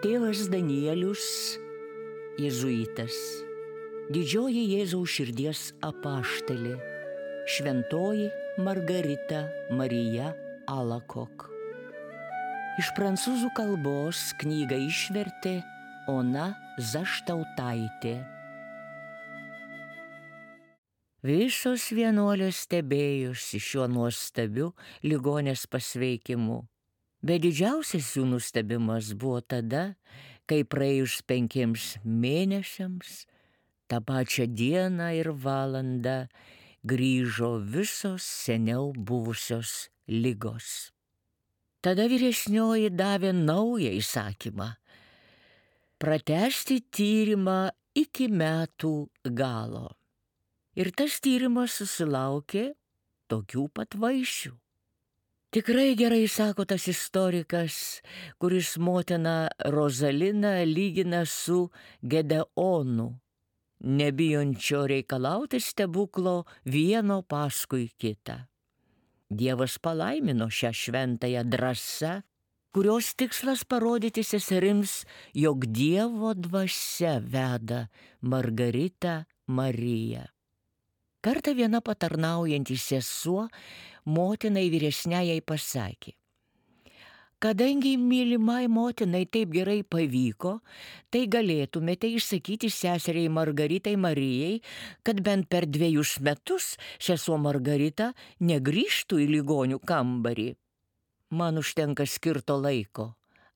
Tėvas Danielius, jėzuitas, didžioji Jėzaus širdies apaštalė, šventoji Margarita Marija Alacoque. Iš prancūzų kalbos knygą išvertė Ona Zaštautaitė. Visos vienuolės stebėjosi šiuo nuostabiu ligonės pasveikimu. Bet didžiausias jų nustebimas buvo tada, kai praėjus 5 mėnesiams, tą pačią dieną ir valandą grįžo visos seniau buvusios ligos. Tada vyresnioji davė naują įsakymą – pratęsti tyrimą iki metų galo. Ir tas tyrimas susilaukė tokių pat vaisių. Tikrai gerai sako tas istorikas, kuris motiną Rozaliną lygina su Gedeonu, nebijančio reikalauti stebuklo vieno paskui kitą. Dievas palaimino šią šventąją drąsą, kurios tikslas parodyti seserims, jog Dievo dvasia veda Margaritą Mariją. Kartą viena patarnaujanti sesuo motinai vyresniajai pasakė: kadangi mylimai motinai taip gerai pavyko, tai galėtumėte išsakyti seseriai Margaritai Marijai, kad bent per 2 metus sesuo Margarita negrįžtų į ligonių kambarį. Man užtenka skirto laiko,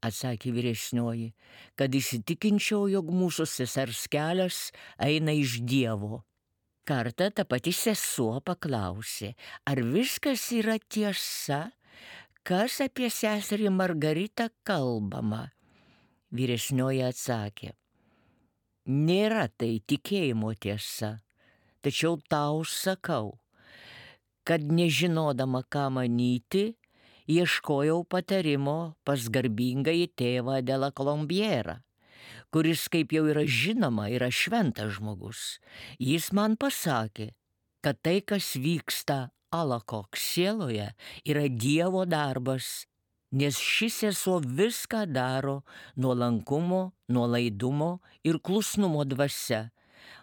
atsakė vyresnioji, kad įsitikinčiau, jog mūsų sesers kelias eina iš Dievo. Kartą ta pati sesuo paklausė, ar viskas yra tiesa, kas apie seserį Margaritą kalbama. Vyresnioji atsakė: nėra tai tikėjimo tiesa, tačiau tau sakau, kad nežinodama ką manyti, ieškojau patarimo pas garbingąjį tėvą de la Colombière, kuris, kaip jau yra žinoma, yra šventas žmogus. Jis man pasakė, kad tai, kas vyksta Alacoque sieloje, yra Dievo darbas, nes ši sesuo viską daro nuolankumo, nuolaidumo ir klusnumo dvasia,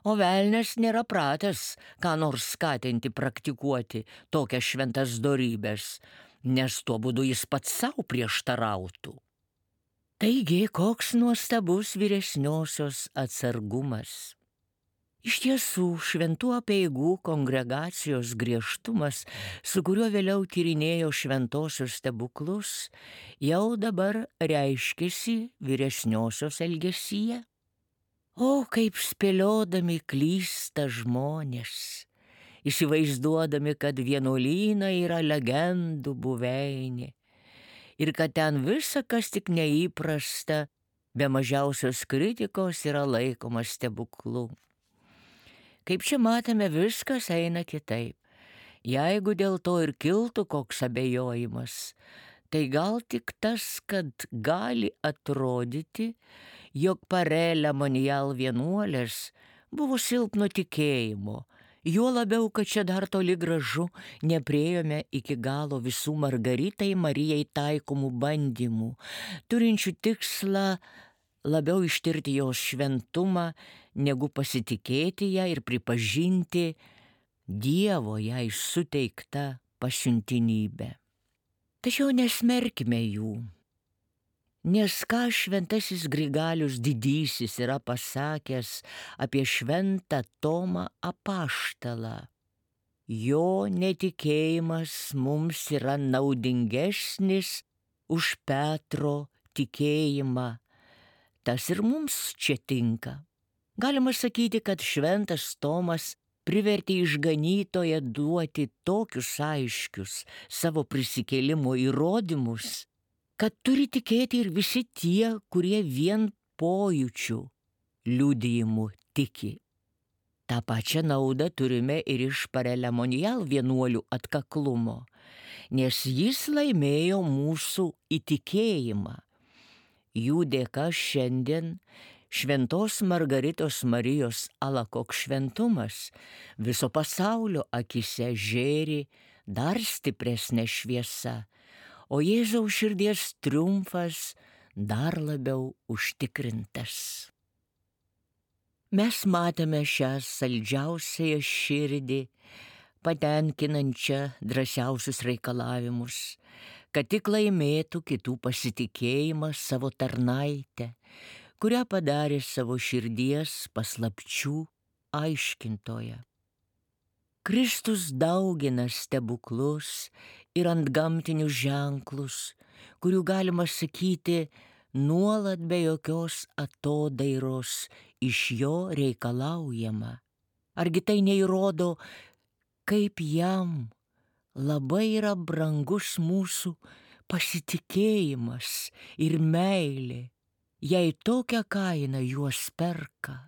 o velnias nėra pratęs ką nors skatinti praktikuoti tokias šventas dorybes, nes tuo būdu jis pats savo prieštarautų. Taigi, koks nuostabus vyresniosios atsargumas. Iš tiesų, šventų apeigų kongregacijos griežtumas, su kuriuo vėliau tyrinėjo šventosios stebuklus, jau dabar reiškiasi vyresniosios elgesyje. O, kaip spėliodami klysta žmonės, įsivaizduodami, kad vienuolynai yra legendų buveinė, ir kad ten visa, kas tik neįprasta, be mažiausios kritikos yra laikoma stebuklu. Kaip čia matome, viskas eina kitaip. Jeigu dėl to ir kiltų koks abejojimas, tai gal tik tas, kad gali atrodyti, jog Parelė Monijal vienuolės buvo silpno tikėjimo, juo labiau, kad čia dar toli gražu nepriėjome iki galo visų Margaritai Marijai taikomų bandymų, turinčių tikslą labiau ištirti jos šventumą, negu pasitikėti ją ir pripažinti Dievo jai suteiktą pasiuntinybę. Tačiau nesmerkime jų, nes ką šventasis Grigalius didysis yra pasakęs apie šventą Tomą apaštalą. Jo netikėjimas mums yra naudingesnis už Petro tikėjimą. Tas ir mums čia tinka. Galima sakyti, kad šventas Tomas privertė išganytoją duoti tokius aiškius savo prisikėlimo įrodymus, kad turi tikėti ir visi tie, kurie vien pojūčių liudijimu tiki. tą pačią naudą turime ir iš Parelė Monijal vienuolių atkaklumo, nes jis laimėjo mūsų įtikėjimą. Jų dėka šiandien šventos Margaritos Marijos Alacoque šventumas viso pasaulio akise žėri dar stipresnė šviesa, o Jėzaus širdies triumfas dar labiau užtikrintas. Mes matėme šią saldžiausiąją širdį, patenkinančią drąsiausius reikalavimus, kad tik laimėtų kitų pasitikėjimą savo tarnaitę, kurią padarė savo širdies paslapčių aiškintoja. Kristus daugina stebuklus ir antgamtinius ženklus, kurių galima sakyti nuolat be jokios atodairos iš jo reikalaujama. Argi tai neįrodo, kaip jam labai yra brangus mūsų pasitikėjimas ir meilė, jei tokią kainą juos perka?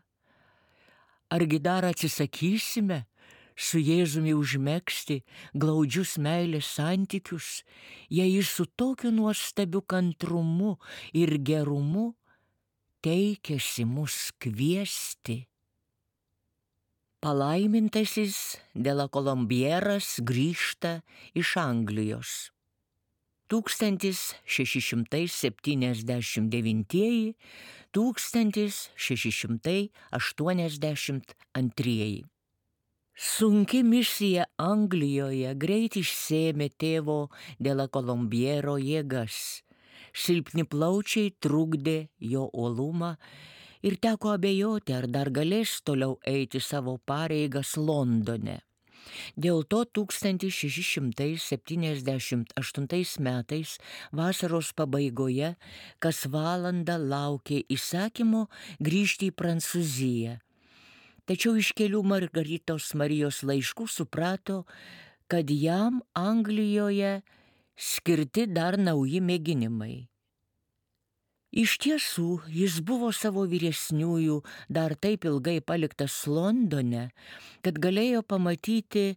Argi dar atsisakysime su Jėzumi užmegzti glaudžius meilės santykius, jei jis su tokiu nuostabiu kantrumu ir gerumu teikėsi mus kviesti? Palaimintasis de la Colombieras grįžta iš Anglijos. 1679–1682. Sunki misija Anglijoje greit išsėmė tėvo de la Colombiero jėgas. Silpni plaučiai trukdė jo uolumą ir teko abejoti, ar dar galės toliau eiti savo pareigas Londone. Dėl to 1678 metais vasaros pabaigoje kas valandą laukė įsakymo grįžti į Prancūziją. Tačiau iš kelių Margaritos Marijos laiškų suprato, kad jam Anglijoje skirti dar nauji mėginimai. Iš tiesų, jis buvo savo vyresniųjų dar taip ilgai paliktas Londone, kad galėjo pamatyti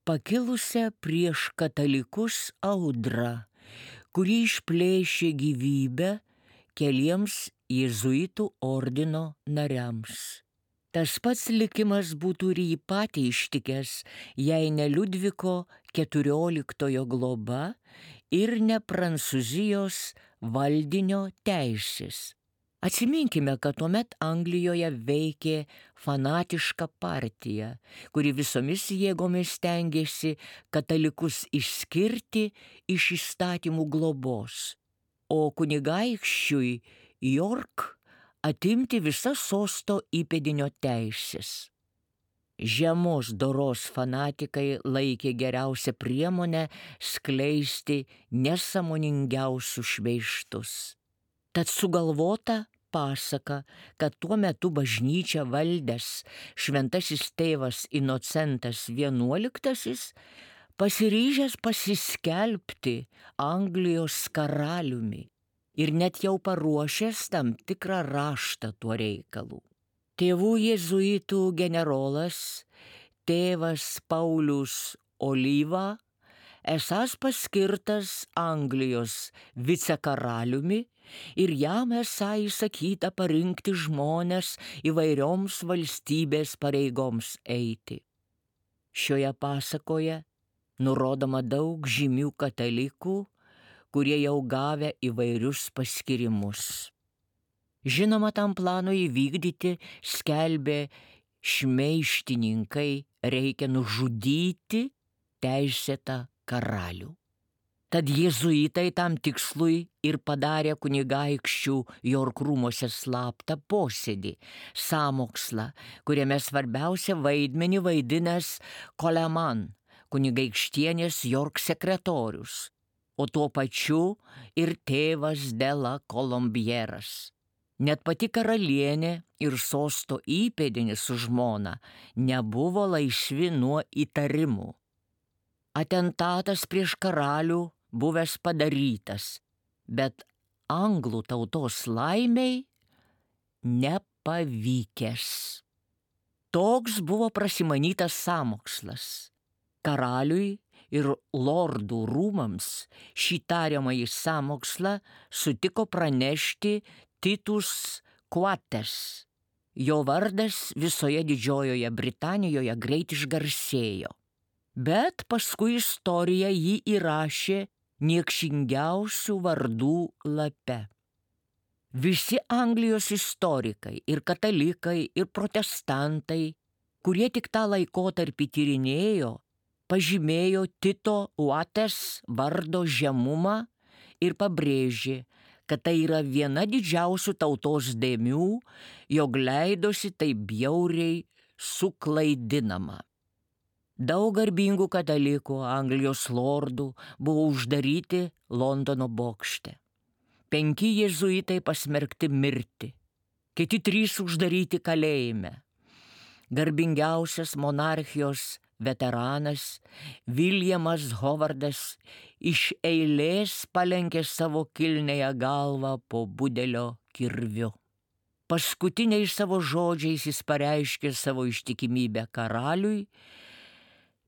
pakilusią prieš katalikus audrą, kuri išplėšė gyvybę keliems jėzuitų ordino nariams. Tas pats likimas būtų ir jį patį ištikęs, jei ne Liudviko XIV globa ir ne Prancūzijos valdinio teisės. Atsiminkime, kad tuomet Anglijoje veikė fanatiška partija, kuri visomis jėgomis stengėsi katalikus išskirti iš įstatymų globos, o kunigaikščiui York atimti visas sosto įpėdinio teisės. Žemos doros fanatikai laikė geriausią priemonę skleisti nesąmoningiausius šmeižtus. Tad sugalvota pasaka, kad tuo metu bažnyčią valdęs šventasis tėvas Inocentas XI pasiryžęs pasiskelbti Anglijos karaliumi ir net jau paruošęs tam tikrą raštą tuo reikalu. Tėvų jėzuitų generolas, tėvas Paulius Olyva, esąs paskirtas Anglijos vicekaraliumi ir jam esą įsakyta parinkti žmones įvairioms valstybės pareigoms eiti. Šioje pasakoje nurodoma daug žymių katalikų, kurie jau gavę įvairius paskirimus. Žinoma, tam planui įvykdyti, skelbė šmeištininkai, reikia nužudyti teisėtą karalių. Tad jėzuitai tam tikslui ir padarė kunigaikščių York rūmuose slaptą posėdį, sąmokslą, kuriame svarbiausią vaidmenį vaidinęs Coleman, kunigaikštienės York sekretorius, o tuo pačiu ir tėvas de la Colombieras. Net pati karalienė ir sosto įpėdinis su žmona nebuvo laisvi nuo įtarimų. Atentatas prieš karalių buvęs padarytas, bet anglų tautos laimiai nepavykęs. Toks buvo prasimanytas sąmokslas. Karaliui ir lordų rūmams šį tariamąjį sąmokslą sutiko pranešti Titus Quates. Jo vardas visoje Didžiojoje Britanijoje greit išgarsėjo, bet paskui istorija jį įrašė niekšingiausių vardų lape. Visi Anglijos istorikai, ir katalikai, ir protestantai, kurie tik tą laikotarpį tyrinėjo, pažymėjo Tito Uates vardo žemumą ir pabrėžė, kad tai yra viena didžiausių tautos dėmių, jog leidosi taip bjauriai suklaidinama. Daug garbingų katalikų, Anglijos lordų buvo uždaryti Londono bokšte. 5 jėzuitai pasmerkti mirti, kiti 3 uždaryti kalėjime. Garbingiausias monarchijos veteranas Viljamas Hovardas iš eilės palenkė savo kilniąją galvą po budelio kirviu. Paskutiniais savo žodžiais jis pareiškė savo ištikimybę karaliui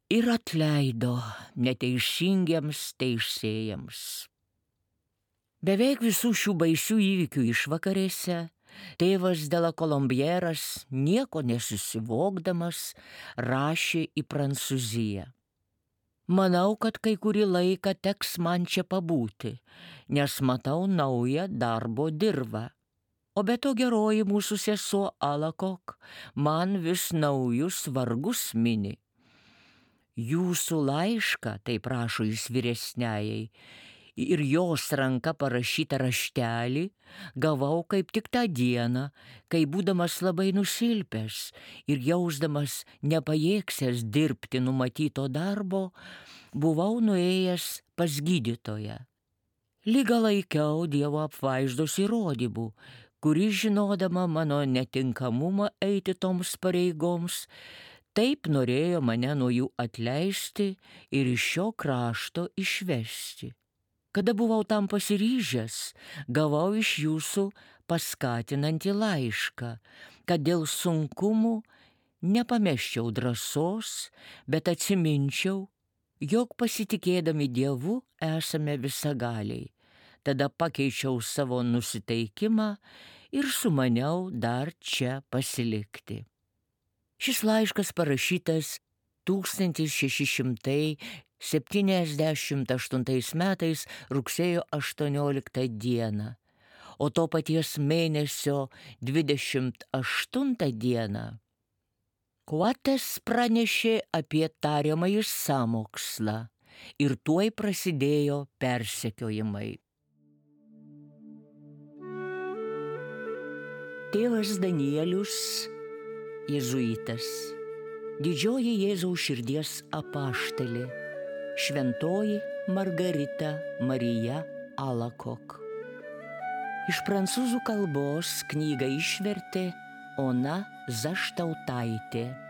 ir atleido neteisingiems teisėjams. Beveik visų šių baisių įvykių išvakarėse tėvas de la Colombieras, nieko nesusivokdamas, rašė į Prancūziją. Manau, kad kai kurį laiką teks man čia pabūti, nes matau naują darbo dirvą. O be to geroji mūsų sesuo Alakok man vis naujus vargus mini. Jūsų laišką, taip rašo jis vyresniajai, ir jos ranka parašytą raštelį gavau kaip tik tą dieną, kai būdamas labai nusilpęs ir jausdamas nepajėgsęs dirbti numatyto darbo, buvau nuėjęs pas gydytoją. Ligą laikiau Dievo apvaizdos įrodymų, kuri, žinodama mano netinkamumą eiti toms pareigoms, taip norėjo mane nuo jų atleisti ir iš šio krašto išvesti. Kada buvau tam pasiryžęs, gavau iš jūsų paskatinantį laišką, kad dėl sunkumų nepamesčiau drąsos, bet atsiminčiau, jog pasitikėdami Dievu esame visagaliai. Tada pakeičiau savo nusiteikimą ir sumaniau dar čia pasilikti. Šis laiškas parašytas 1678 metais rugsėjo 18 dieną, o to paties mėnesio 28 dieną Uates pranešė apie tariamąjį sąmokslą ir tuoj prasidėjo persekiojimai. Tėvas Danielius, jėzuitas, didžioji Jėzaus širdies apaštalė, šventoji Margarita Marija Alakok. Iš prancūzų kalbos knygą išvertė Ona Zaštautaitė.